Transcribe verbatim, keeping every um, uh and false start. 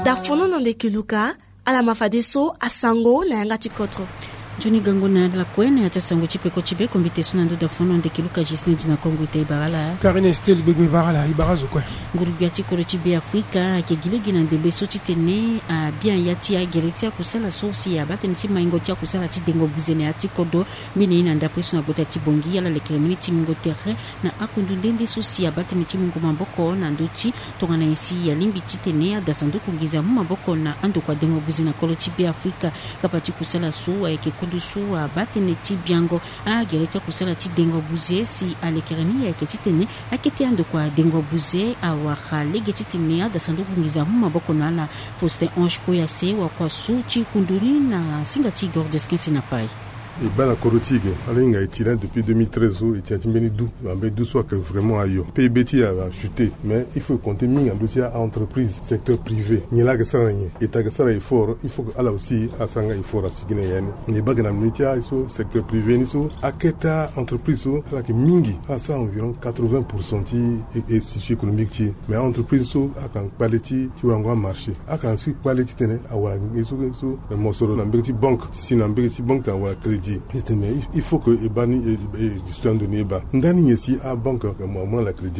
Dafono na ndeke luka. Ala ma fadeso asango na yanga ti kodro. Nzoni gango na ala kue na ya ti asango ti peko ti be kombite so na ndo dafono ndeke luka Gislin di na Kongo ita e bara ala. Karine Estel gbegbe bara ala e bara zo kue. Nguru-gbia ti kodro ti be Afrika ayeke gi lege na ndembe so titene abia ya ti agere ti akusala so si abaa tënë ti maingo ti akusala ti dengo buze na ya ti kodro. Mbeni ye na ndapre so na gbota ti Bongi ala lekere mbeni ti mingo tere na akundu nde nde so si abaa tënë ti mungo maboko na ndö ti tongana nyen si alingbi titene ada sanduku nginza amu maboko na andokua dengo buze na kolo ti be Afrika. Kapa ti kusala so ayeke kundu so abaa tënë ti biango agere ti akusala ti dengo buze si alekere ni ayeke titene akete andokua dengo buze awara lege titene ada sanduku nginza amu maboko na ala. Faustin Ange Koyase wakua so ti kundu ni na singa ti Gordes Kense na Pai. E baa na kodro ti e ge ala hinga e tira depuis deux mille treize so e tira ti mbeni du. Ambeni du so ayeke vraiment ayo. P I B ti e achute, mais il faut e compter mingi na ndö ti a-entreprise, secteur privé. Nyen laa ayeke sara na nyen? État ayeke sara effort, il faut que ala aussi asara nga effort asi gi na ya ni. Nyen e baa ge na mbeni ti aye so secteur privé ni so akete a-entreprise so ala yeke mingi. Ala sara environ quatre-vingts pour cent ti e- e- tissu économique ti e. Mais a-entreprise so ala yeke na kpale ti ti warango amarché. Ala yeke na si kpale titene awara nge so nge so mosoro na mbege ti banque ti si na mbege ti banque tene awara crédit. Titene il faut que e baa ni e- e- e- discuter ando ni e baa ndani nyen si abanque amu na ala crédit.